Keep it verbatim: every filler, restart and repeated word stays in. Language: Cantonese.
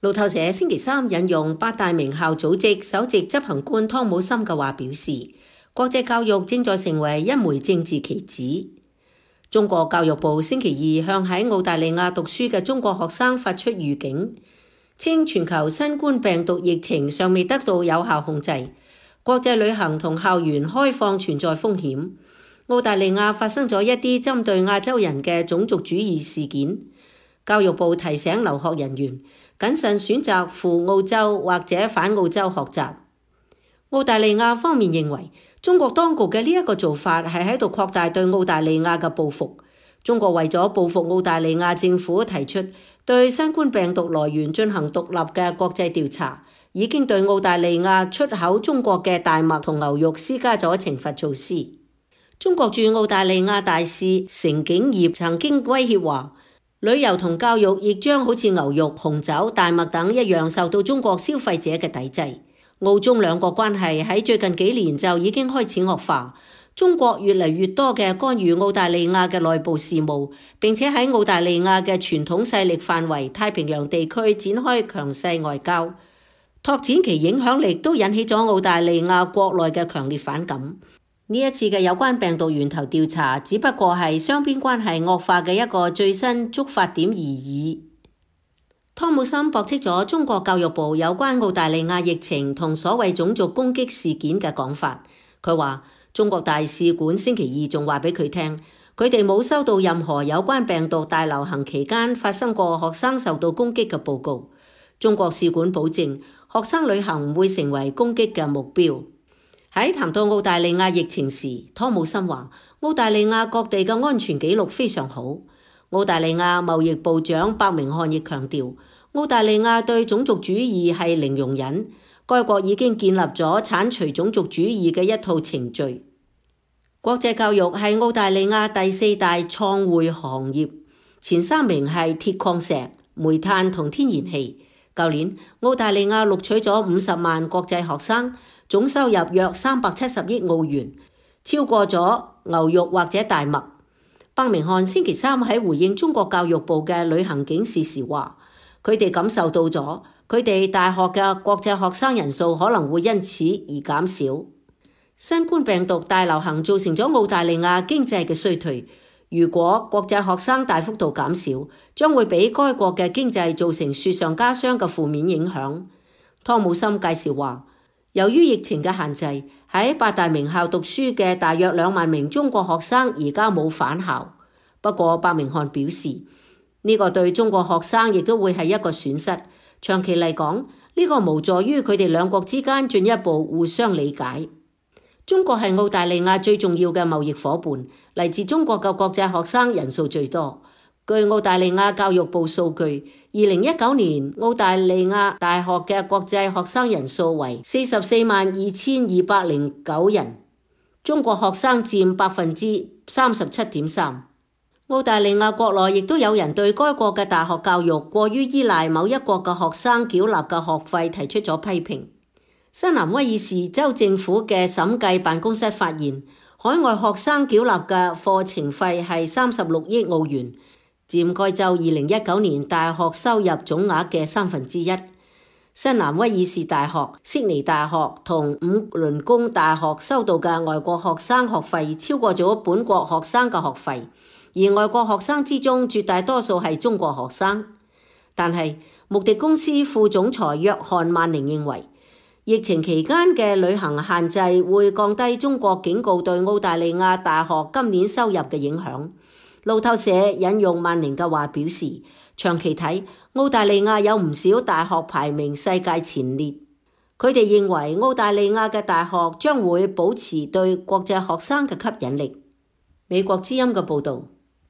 路透社星期三引用八大名校組織首席執行官湯姆森嘅話表示，國際教育正在成為一枚政治棋子。中國教育部星期二向喺澳大利亞讀書嘅中國學生發出預警，稱全球新冠病毒疫情尚未得到有效控制，國際旅行同校園開放存在風險。澳大利亞發生咗一啲針對亞洲人嘅種族主義事件。教育部提醒留學人員謹慎選擇赴澳洲或者返澳洲學習。澳大利亞方面認為，中國當局嘅呢一個做法係喺度擴大對澳大利亞嘅報復。中國為咗報復澳大利亞政府提出對新冠病毒來源進行獨立嘅國際調查，已經對澳大利亞出口中國嘅大麥同牛肉施加咗懲罰措施。中國駐澳大利亞大使成景業曾經威脅話，旅遊同教育亦將好似牛肉、紅酒、大麥等一樣受到中國消費者嘅抵制。澳中兩國關係喺最近幾年就已經開始惡化，中國越嚟越多嘅干預澳大利亞嘅內部事務，並且喺澳大利亞嘅傳統勢力範圍太平洋地區展開強勢外交，拓展其影響力都引起咗澳大利亞國內嘅強烈反感。呢一次嘅有關病毒源頭調查只不過係雙邊關係惡化嘅一個最新觸發點而已。湯姆森駁斥咗中國教育部有關澳大利亞疫情同所謂種族攻擊事件嘅講法。佢話中國大使館星期二仲話俾佢聽，佢哋冇收到任何有關病毒大流行期間發生過學生受到攻擊嘅報告。中國使館保證學生旅行唔會成為攻擊嘅目標。喺談到澳大利亞疫情時，湯姆森話澳大利亞各地嘅安全記錄非常好。澳大利亞貿易部長白明漢亦強調，澳大利亞對種族主義係零容忍，該國已經建立咗剷除種族主義嘅一套程序。國際教育係澳大利亞第四大創匯行業，前三名係鐵礦石、煤炭同天然氣。舊年澳大利亞錄取咗五十萬國際學生，總收入約三百七十億澳元，超過咗牛肉或者大麥。白明漢星期三喺回應中國教育部嘅旅行警示時話，佢哋感受到咗佢哋大學嘅國際學生人數可能會因此而減少。新冠病毒大流行造成咗澳大利亞經濟嘅衰退，如果國際學生大幅度減少，將會俾該國嘅經濟造成雪上加霜嘅負面影響。湯姆森介紹話，由於疫情嘅限制，喺八大名校讀書嘅大約兩萬名中國學生而家冇返校。不過白明漢表示，呢個對中國學生亦都會係一個損失。長期嚟講，呢個無助於佢哋兩國之間進一步互相理解。中國係澳大利亞最重要嘅貿易夥伴，嚟自中國嘅國際學生人數最多。據澳大利亞教育部數據，二零一九年澳大利亞大學嘅國際學生人數為四十四萬二千二百零九人，中國學生佔百分之三十七點三。澳大利亞國內亦都有人對該國嘅大學教育過於依賴某一國嘅學生繳納嘅學費提出咗批評。新南威爾士州政府嘅審計辦公室發現，海外學生繳納嘅課程費係三十六億澳元，佔該州二零一九年大學收入總額嘅三分之一。新南威爾士大學、悉尼大學同五倫宮大學收到嘅外國學生學費超過咗本國學生嘅學費，而外國學生之中絕大多數係中國學生。但係穆迪公司副總裁約翰萬寧認為，疫情期間嘅旅行限制會降低中國警告對澳大利亞大學今年收入嘅影響。路透社引用萬寧嘅話表示，長期睇，澳大利亞有唔少大學排名世界前列。佢哋認為澳大利亞嘅大學將會保持對國際學生嘅吸引力。美國之音嘅報導。